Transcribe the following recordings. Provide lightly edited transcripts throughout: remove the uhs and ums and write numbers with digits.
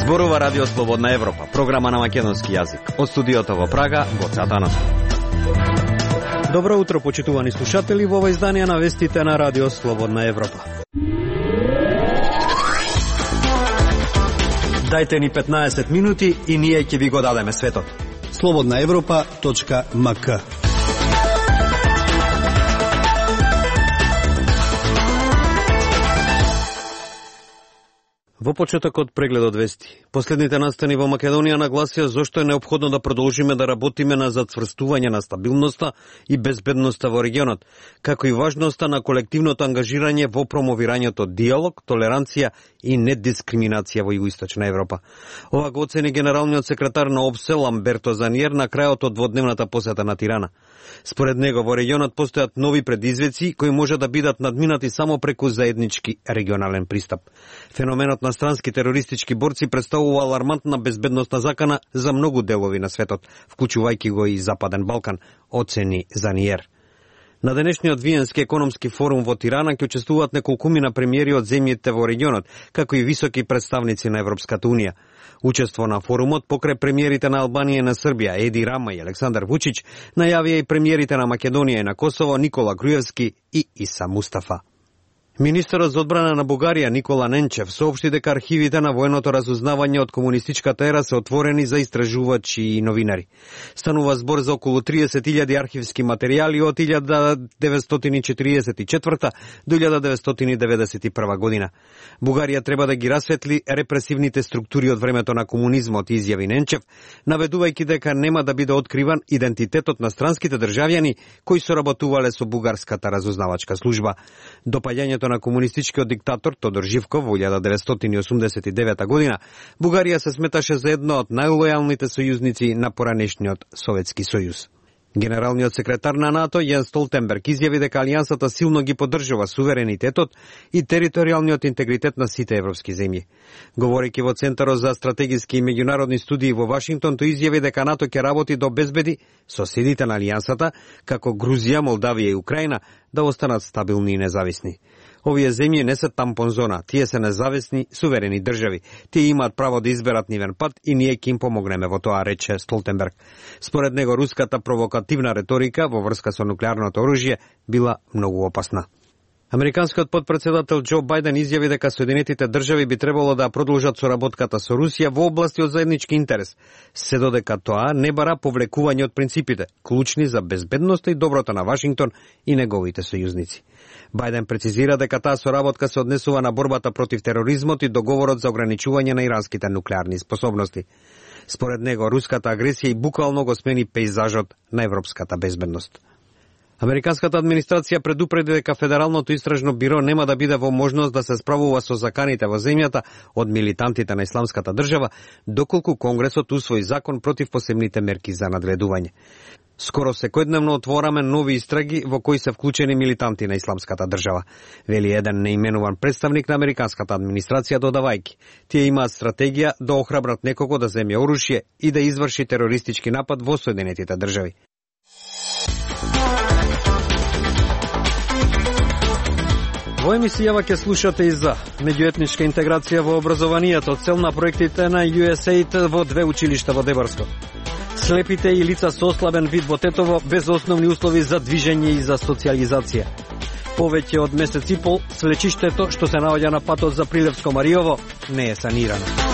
Зборува Радио Слободна Европа, програма на македонски јазик. Од студиото во Прага, Гоце Атанасов. Добро утро, почитувани слушатели, во ова издание на вестите на Радио Слободна Европа. Дајте ни 15 минути и ние ќе ви го дадеме светот. slobodnaevropa.mk. Во почетокот прегледот вести. Последните настани во Македонија нагласија зошто е неопходно да продолжиме да работиме на зацврстување на стабилноста и безбедноста во регионот, како и важноста на колективното ангажирање во промовирањето диалог, толеранција и недискриминација во Југоисточна Европа. Ова го оцени генералниот секретар на ОПСЕ Ламберто Заниер на крајот од дводневната посета на Тирана. Според него во регионот постојат нови предизвици кои може да бидат надминати само преку заеднички регионален пристап. Феноменот на странски терористички борци представува алармантна безбедносна закана за многу делови на светот, вклучувајќи го и Западен Балкан, оцени Заниер. На денешниот Виенски економски форум во Тирана ќе учествуваат неколкумина премиери од земјите во регионот, како и високи представници на Европската Унија. Учество на форумот покрај премиерите на Албанија и на Србија, Еди Рама и Александар Вучич, најавија и премиерите на Македонија и на Косово, Никола Груевски и Иса Мустафа. Министерот за одбрана на Бугарија Никола Ненчев соопшти дека архивите на военото разузнавање од комунистичката ера се отворени за истражувачи и новинари. Станува збор за околу 30.000 архивски материјали од 1944 до 1991 година. Бугарија треба да ги расветли репресивните структури од времето на комунизмот, изјави Ненчев, наведувајќи дека нема да биде откриван идентитетот на странските државјани кои соработувале со бугарската разузнавачка служба. Допаѓањето на комунистичкиот диктатор Тодор Живков во 1989 година, Бугарија се сметаше за едно од најлојалните сојузници на поранешниот Советски сојуз. Генералниот секретар на НАТО Јен Столтенберг изјави дека алијансата силно ги поддржува суверенитетот и територијалниот интегритет на сите европски земји. Говорејќи во Центарот за стратегиски и меѓународни студии во Вашингтон, тој изјави дека НАТО ќе работи да обезбеди соседите на алијансата, како Грузија, Молдавија и Украина, да останат стабилни и независни. Овие земји не се тампон зона, тие се независни, суверени држави. Тие имаат право да изберат нивен пат и ние ќе им помогнеме во тоа, рече Столтенберг. Според него, руската провокативна реторика во врска со нуклеарното оружје била многу опасна. Американскиот потпредседател Џо Бајден изјави дека Соединетите држави би требало да продолжат соработката со Русија во области од заеднички интерес, се додека тоа не бара повлекување од принципите, клучни за безбедноста и доброто на Вашингтон и неговите сојузници. Бајден прецизира дека таа соработка се однесува на борбата против тероризмот и договорот за ограничување на иранските нуклеарни способности. Според него, руската агресија и буквално го смени пејзажот на европската безбедност. Американската администрација предупреди дека Федералното истражно биро нема да биде во можност да се справува со заканите во земјата од милитантите на Исламската држава, доколку Конгресот усвои закон против посебните мерки за надледување. Скоро секојдневно отвораме нови истраги во кои се вклучени милитанти на Исламската држава, вели еден неименуван представник на американската администрација, додавајќи: тие имаат стратегија да охрабрат некого да земе оружје и да изврши терористички напад во Соединетите држави. Во емисијава ќе слушате и за меѓуетничка интеграција во образованието, цел на проектите на USAID во 2 училишта во Дебарско. Слепите и лица со ослабен вид во Тетово без основни услови за движење и за социјализација. Повеќе од месец и пол слечиштето што се наоѓа на патот за Прилевско Мариово не е санирано.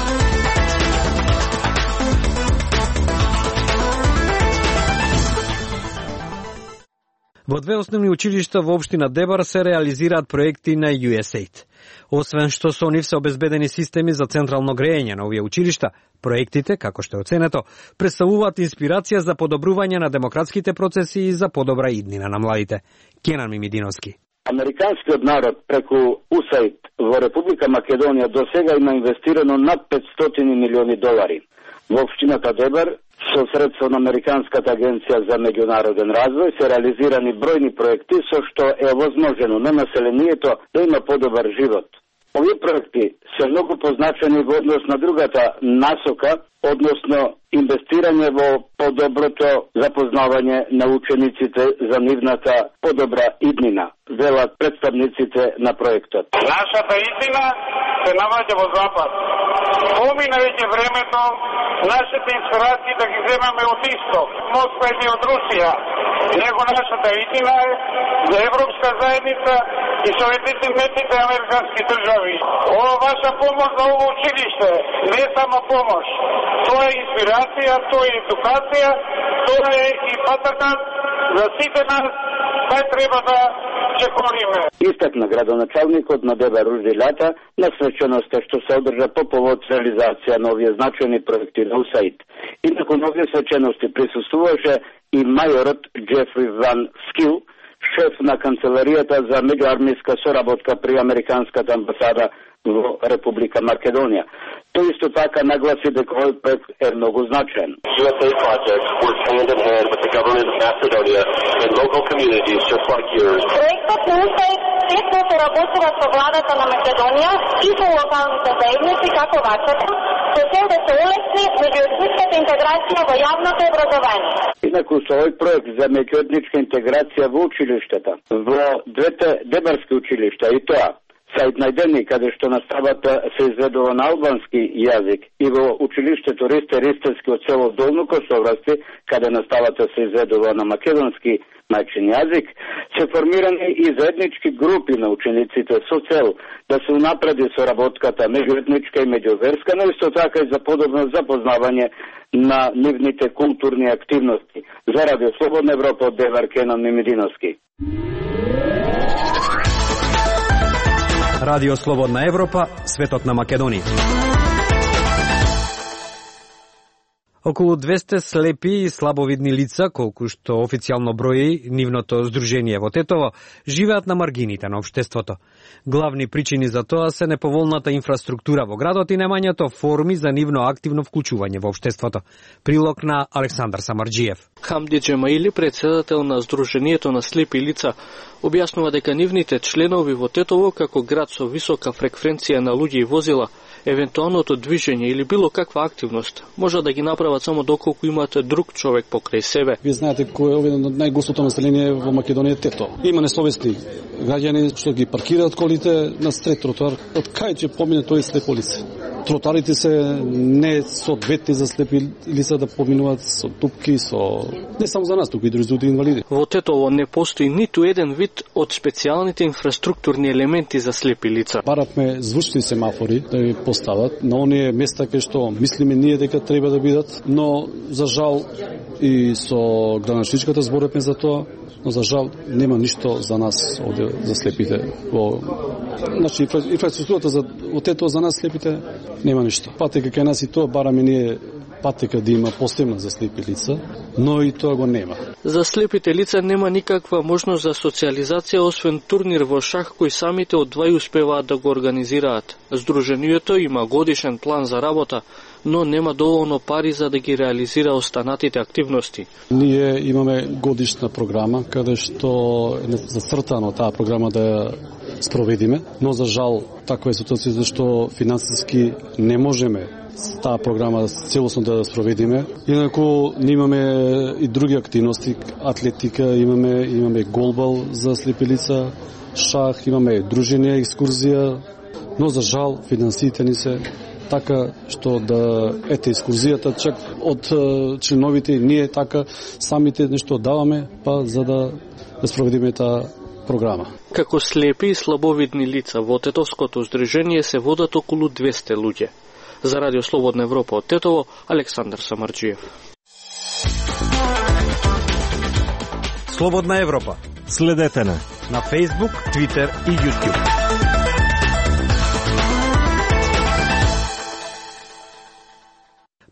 Во 2 основни училишта во општина Дебар се реализираат проекти на USAID. Освен што со нив се обезбедени системи за централно грејење на овие училишта, проектите, како што е оценето, представуваат инспирација за подобрување на демократските процеси и за подобра иднина на младите. Кенан Мимидиновски. Американскиот народ преку USAID во Република Македонија до сега има инвестирано над 500 милиони долари. Во општината Дебар со средства на Американската агенција за меѓународен развој се реализирани бројни проекти со што е овозможено на населението да има подобар живот. Овие проекти се многу позначени во однос на другата насока, односно инвестирање во подоброто запознавање на учениците за нивната подобра иднина, велат представниците на проектот. Нашата иднина се наоѓа во Запад. Помина веќе времето нашите инспирации да ги земаме од Исток, Москва и од Русија. Него нашата иднина е за Европска заедница и Соединетите американски држави. Ова ваша помош за ово училиште не е само помош. Тоа е инспирација, тоа е едукација, тоа е и патакат за сите нас, кај треба да се кориме. Истакна градоначалникот на ДБ Ружди Лјата на свеченоста што се одржа по повод реализација на овие значајни проекти на УСАИД. И након овие свечености присуствуваше и мајорот Джефри Ван Скил, шеф на канцеларијата за меѓуармиска соработка при Американската амбасада во Република Македонија. Тој исто така нагласи дека овој проект е многу значаен. USA project works hand in hand with the government of Macedonia and local communities just like yours. Проектот на УСАИД тесно соработува со владата на Македонија и со локалните заедници како вашата, со цел да се улесни меѓуетничката интеграција во јавното образование. Инаку со овој проект за меѓуетничка интеграција во училиштата, во двете дебарски училишта и тоа Саид најдени каде што наставата се изведува на албански јазик и во училиштето Ристе Ристевски од село Долно Косоврасти, каде наставата се изведува на македонски мајчин јазик, се формирани и заеднички групи на учениците со цел да се унапреди соработката меѓуетничка и меѓуверска, но исто така и за подобно запознавање на нивните културни активности. За Радио Слободна Европа од Девар Кенан Мимидиновски. Радио Слободна Европа, светот на Македонија. Околу 200 слепи и слабовидни лица, колку што официјално брои нивното здружение во Тетово, живеат на маргините на општеството. Главни причини за тоа се неповолната инфраструктура во градот и немањето форми за нивно активно вклучување во општеството. Прилог на Александар Самарџиев. Хамди Джемаили, председател на Здруженијето на слепи лица, објаснува дека нивните членови во Тетово, како град со висока фреквенција на луѓе и возила, евентуалното движење или било каква активност може да ги направат само доколку имаат друг човек покрај себе. Вие знаете кој е овој најгустото население во Македонија Тето. Има несовесни граѓани што ги паркираат колите на стрет тротоар. Од кај ќе помине тој слепо лице? Тротарите се не соодветни за слепи лица да поминуваат со дупки, со не само за нас, туку и други инвалиди. Во Тетово не постои ниту еден вид од специјалните инфраструктурни елементи за слепи лица. Баравме звучни семафори да ги постават на оние места кај што мислиме ние дека треба да бидат, но за жал и со граничничката зборевме за тоа, но за жал нема ништо за нас овде за слепите. Значи инфраструктурата за Тетово за нас слепите нема ништо. Патека кај нас и тоа бараме ние патека да има посебна за слепи лица, но и тоа го нема. За слепите лица нема никаква можност за социализација освен турнир во шах кој самите одвај успеваат да го организираат. Здруженијето има годишен план за работа, но нема доволно пари за да ги реализира останатите активности. Ние имаме годишна програма каде што е зацртано таа програма да ја спроведиме, но за жал таква е ситуација што финансиски не можеме таа програма целосно да спроведиме. Инаку имаме и други активности, атлетика, имаме голбал за слепи лица, шах, имаме дружење, екскурзија, но за жал финансиите ни се така што да ете екскурзијата чак од членовите ние така самите нешто даваме па за да спроведиме таа програма. Како слепи и слабовидни лица во Тетовското здружение се водат околу 200 луѓе. За Радио Слободна Европа од Тетово, Александар Самарџиев. Слободна Европа. Следете на Facebook, Twitter и YouTube.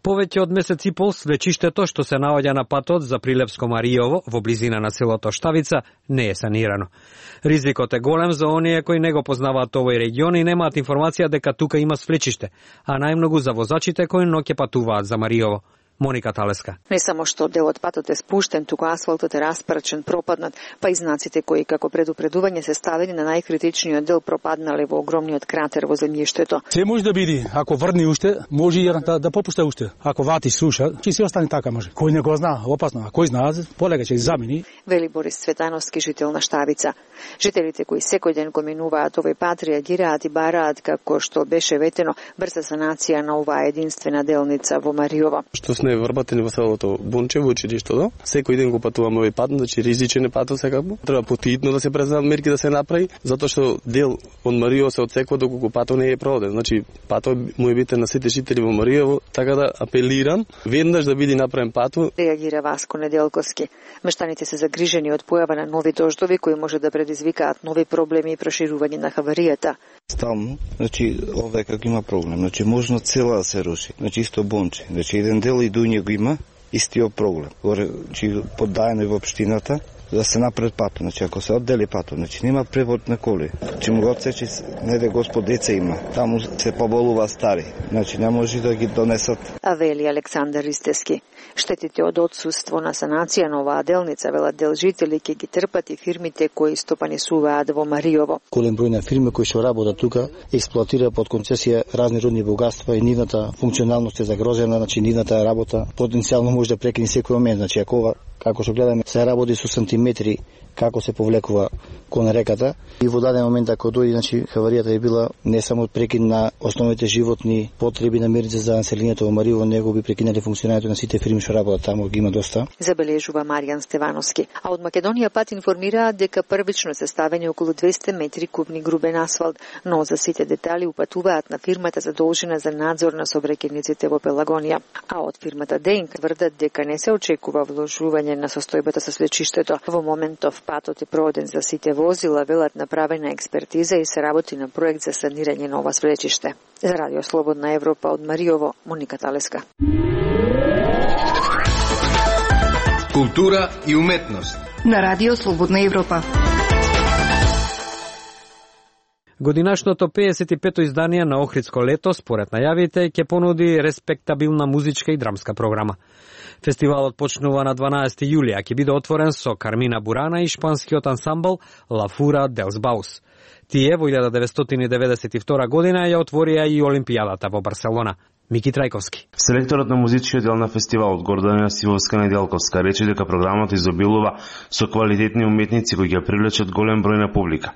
Повеќе од месец и пол свечиштето што се наоѓа на патот за Прилепско-Маријово во близина на селото Штавица не е санирано. Ризикот е голем за оние кои не го познаваат овој регион и немаат информација дека тука има свлечиште, а најмногу за возачите кои ноќе патуваат за Маријово. Моника Талеска. Не само што делот патот е спуштен, туку асфалтот е распрчен, пропаднат, па и знаците кои како предупредување се ставени на најкритичниот дел пропаднале во огромниот кратер во земјиштето. Се може да биде, ако врни уште, може и да попушта уште. Ако вати слуша, ќе се остане така може. Кој не го знае, опасно, а кој знае, полека ќе замени. Вели Борис Цветановски, жител на Штавица. Жителите кои секој ден го минуваат овој пат реагираат и бараат, како што беше ветено, брза санација на оваа единствена делница во Мариово. Што сме врбатени во селото Бунче, во училиштето, секој ден го патуваме овој пат, значи ризичен е патот секако. Треба потhitno да се презна мерки да се направи, затоа што дел од Мариово се отсекува доколку патот не е проведен. Значи патот му е битен на сите жители во Мариово, така да апелирам веднаш да биде направен патот. Реагира Васко Неделковски. Мештаните се загрижени од појава на нови дождови кои може да предизвикаат нови проблеми и проширување на хаваријата. Стално, значи овде како има проблем, значи можно цела да се руши, значи исто Бонче, значи еден дел и дуње го има истиот проблем. Горе, значи поддаено и во општината да се напред патот, значи ако се оддели патот, значи нема превод на коли. Значи му го отсечи, неде Господ деца има, таму се поболува стари, значи не може да ги донесат. А вели Александар Истески. Штетите од отсуство на санација на оваа делница, велат дел жители, ќе ги трпат и фирмите кои стопанисуваат во Мариово. Голем број на фирми кои што работат тука експлоатира под концесија разни рудни богатства и нивната функционалност е загрозена, значи нивната работа потенцијално може да прекине секој момент, значи ако како што гледаме се работи со сантиметри како се повлекува кон реката и во даден момент ако дојде, значи хаваријата е била не само прекин на основните животни потреби намирници за населението во Мариово, него би прекинали функционирањето на сите фирми што работат таму, ги има доста. Забележува Маријан Стевановски. А од Македонија пат информираат дека првично се ставени околу 200 метри кубни грубен асфалт, но за сите детали упатуваат на фирмата задолжена за надзор на сообраќајниците во Пелагонија. А од фирмата Денк тврдат дека не се очекува вложување на состојбата со свлечиштето. Во моментов патот е проведен за сите возила, велат направена експертиза и се работи на проект за санирање на ова свлечиште. За Радио Слободна Европа од Мариово, Моника Талеска. Култура и уметност на Радио Слободна Европа. Годинашното 55-то издание на Охридско лето, според најавите, ќе понуди респектабилна музичка и драмска програма. Фестивалот почнува на 12 јули, а ќе биде отворен со Кармина Бурана и шпанскиот ансамбл La Fura dels Baus. Тие во 1992 година ја отворија и Олимпијадата во Барселона. Мики Трајковски. Селекторот на музичкиот дел на фестивалот Гордана Сивовска-Неделковска рече дека програмата изобилува со квалитетни уметници кои ќе привлечат голем број на публика.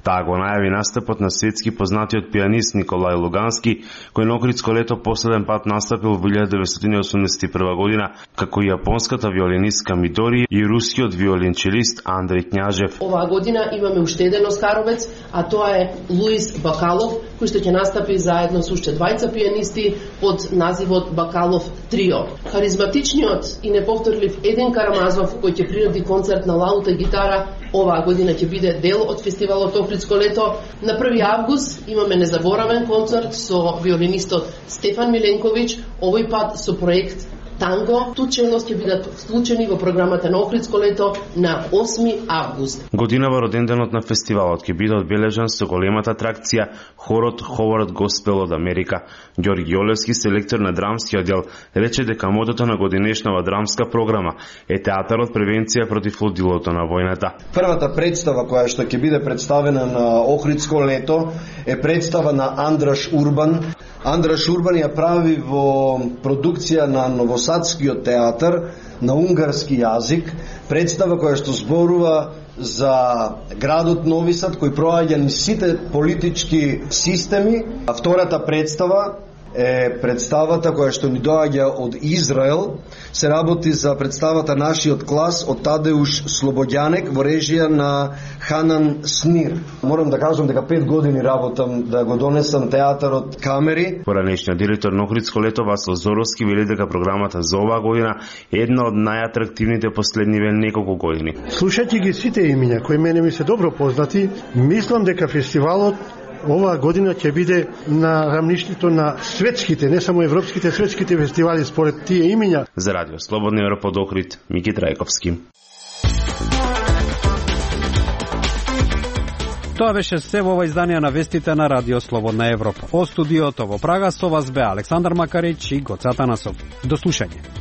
Таа го најави настапот на светски познатиот пианист Николај Лугански, кој на Охридско лето последен пат настапил во 1981 година, како и јапонската виолинистка Мидори и рускиот виолинчелист Андреј Књажев. Оваа година имаме уште еден оскаровец, а тоа е Луис Бакалов, кој што ќе настапи заедно со уште двајца пианисти под називот Бакалов Трио. Харизматичниот и неповторлив Един Карамазов, кој ќе приреди концерт на лаута и гитара, оваа година ќе биде дел од фестивалот Охридско лето. На 1 август имаме незаборавен концерт со виолинистот Стефан Миленковиќ, овој пат со проект Танго. Тученост ќе бидат вклучени во програмата на Охридско лето на 8 август. Годинава роденденот на фестивалот ќе биде одбележан со големата атракција хорот Ховард Госпел од Америка. Ѓорги Олевски, селектор на драмскиот дел, рече дека мотото на годинешнава драмска програма е театарот превенција против лудилото на војната. Првата представа која што ќе биде представена на Охридско лето е представа на Андраш Урбан. Андраш Урбан ја прави во продукција на Новосадскиот театар на унгарски јазик, представа која што зборува за градот Нови Сад кој проаѓа низ сите политички системи. А втората представа е представата која што ни доаѓа од Израел. Се работи за представата Нашиот клас од Тадеуш Слободјанек во режија на Ханан Снир. Морам да кажам дека 5 години работам да го донесам театарот камери. Поранешниот директор на Охридско лето Васил Зоровски вели дека програмата за оваа година е една од најатрактивните последниве неколку години. Слушајќи ги сите имиња кои мене ми се добро познати, мислам дека фестивалот оваа година ќе биде на рамништето на светските, не само европските, светските фестивали според тие имиња. За Радио Слободна Европа од Охрид, Мики Трајковски. Тоа беше се во ова издание на вестите на Радио Слободна Европа. Од студиото во Прага со вас бе Александар Макарич и Гоца Танасов. До слушање.